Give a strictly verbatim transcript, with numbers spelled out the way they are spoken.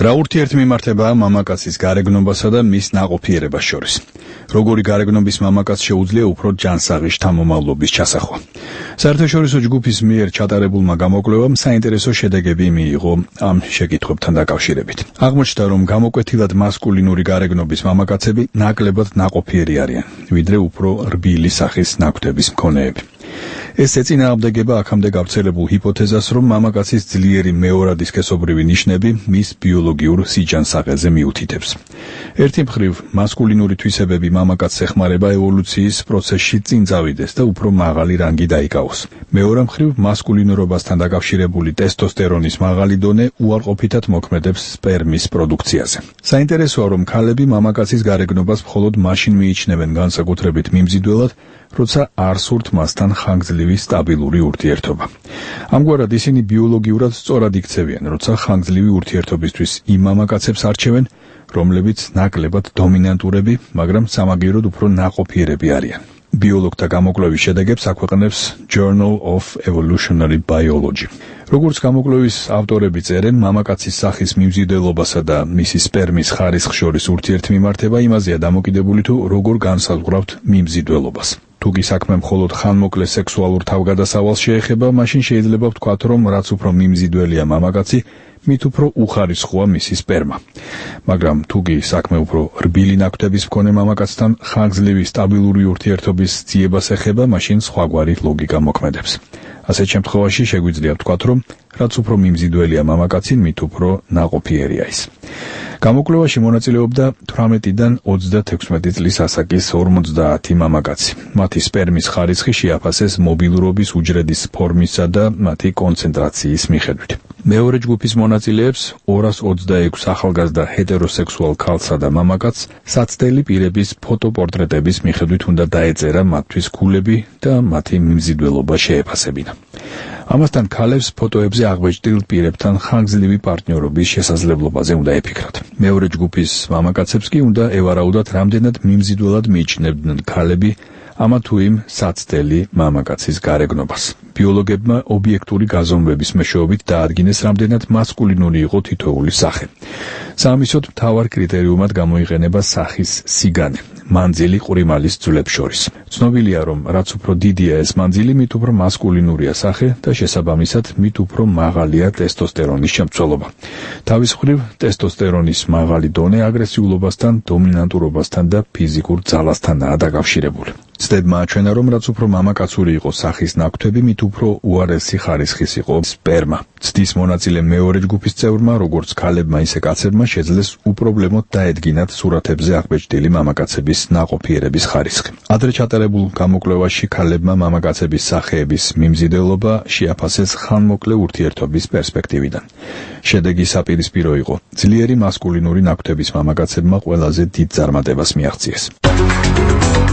რა ურთიერთმიმართებაა მამაკაცის გარეგნობასა და მის ნაყოფიერებას შორის? როგორი გარეგნობის მამაკაც შეუძლია უფრო ჯანსაღი შთამომავლობის ჩასახვა? საერთაშორისო ჯგუფის მიერ ჩატარებულმა გამოკვლევამ საინტერესო შედეგები მიიღო ამ შეკითხვებთან დაკავშირებით. აღმოჩნდა, რომ გამოკვეთილად მასკულინური გარეგნობის მამაკაცები ნაკლებად ნაყოფიერი არიან, ვიდრე უფრო რბილი სახის ნაკვთების მქონეები. ეს ეწინააღმდეგება აქამდე გავრცელებულ ჰიპოთეზას, რომ მამაკაცის ძლიერი მეორადი სქესობრივი ნიშნები მის ბიოლოგიურ სიჯანსაღეზე მიუთითებს. ერთი მხრივ, მასკულინური თვისებები მამაკაცს ეხმარება ევოლუციის პროცესში წინ წავიდეს და უფრო მაღალი რანგი დაიკავოს. მეორე მხრივ, მასკულინურობასთან დაკავშირებული ტესტოსტერონის მაღალი დონე უარყოფითად მოქმედებს სპერმის პროდუქციაზე. საინტერესოა, რომ ქალები მამაკაცის გარეგნობას მხოლოდ მაშინ მიიჩნევენ განსაკუთრებით მიმზიდველად, როცა არ სურთ მასთან ხანგრძლივი სტაბილური ურთიერთობა. ამგვარად ისინი ბიოლოგიურად სწორად იქცევიან, როცა ხანგრძლივი ურთიერთობისთვის იმ მამაკაცებს არჩევენ, რომლებიც ნაკლებად დომინანტურები, მაგრამ სამაგიეროდ უფრო ნაყოფიერები არიან. ბიოლოგთა გამოკვლევის შედეგებს აქვეყნებს Journal of Evolutionary Biology. როგორც გამოკვლევის ავტორები წერენ, მამაკაცის სახის მიმზიდველობასა და მისი სპერმის ხარისხს შორის ურთიერთმიმართება იმაზეა დამოკიდებული, თუ როგორ განსაზღვრავთ მიმზიდველობას. თუ კი საქმე მხოლოდ ხანმოკლე სექსუალურ თავგადასავალს შეეხება, მაშინ შეიძლება ვთქვათ, რომ რაც უფრო მიმზიდველია მამაკაცი, მით უფრო უხარისხოა მისი სპერმა. მაგრამ თუ კი საქმე უფრო რბილი ნაკვთების მქონე მამაკაცთან ხანგრძლივი სტაბილური ურთიერთობის ძიებას ეხება, მაშინ სხვაგვარი ლოგიკა მოქმედებს. ასეთ შემთხვევაში შეგვიძლია ვთქვათ, რომ რაც უფრო მიმზიდველია მამაკაცი, მით უფრო ნაყოფიერია ის. გამოკვლევაში მონაწილეობდა თვრამეტიდან ოცდათექვსმეტი წლის ასაკის ორმოცდაათი მამაკაცი. მათი სპერმის ხარისხი შეაფასეს მობილურობის უჯრედის ფორმისა და მათი კონცენტრაციის მიხედვით. მეორე ჯგუფის მონაწილეებს ორას ოცდაექვსი ახალგაზრდა ჰეტეროსექსუალ ქალსა და მამაკაცს საცდელი პირების ფოტოპორტრეტების მიხედვით უნდა დაეწერა მათთვის გულები და მათი მიმზიდველობა შეეფასებინა. ამასთან ქალებს ფოტოებზე აღბეჭდილ პირებთან ხანგრძლივი პარტნიორობის შესაძლებლობაზე უნდა ეფიქრათ. მეორე ჯგუფის მამაკაცებს კი უნდა ევარაუდათ, რამდენად მიმზიდველად მიიჩნევდნენ ქალები ამა თუ იმ საცდელი მამაკაცის გარეგნობას. ბიოლოგებმა ობიექტური გაზომვების მეშვეობით დაადგინეს, რამდენად მასკულინური იყო თითოეული სახე. საამისოდ მთავარ კრიტერიუმად გამოიყენება სახის სიგანე, მანძილი ყვრიმალის ძვლებს შორის. ცნობილია, რომ რაც უფრო დიდია ეს მანძილი, მით უფრო მასკულინურია სახე და შესაბამისად მით უფრო მაღალია ტესტოსტერონის შემცველობა. თავის მხრივ, ტესტოსტერონის მაღალი დონე აგრესიულობასთან, დომინანტურობასთან და ფიზიკურ ძალასთანაა დაკავშირებული. ცდებმა აჩვენა, რომ რაც უფრო მამაკაცური იყო სახის ნაკვთები, მით უფრო უარესი ხარისხის იყო სპერმა. ცდის მონაწილე მეორე ჯგუფის წევრმა, როგორც ქალებმა, ისე კაცებმა შეძლეს უპრობლემოდ დაედგინათ სურათებზე აღბეჭდილი მამაკაცების ნაყოფიერების ხარისხი. ადრე ჩატარებულ გამოკვლევაში ქალებმა მამაკაცების სახეების მიმზიდველობა შეაფასეს ხანმოკლე ურთიერთობის პერსპექტივიდან. შედეგი საპირისპირო იყო. ძლიერი მასკულინური ნაკვთების მამაკაცებმა ყველაზე დიდ წარმატებას მიაღწიეს.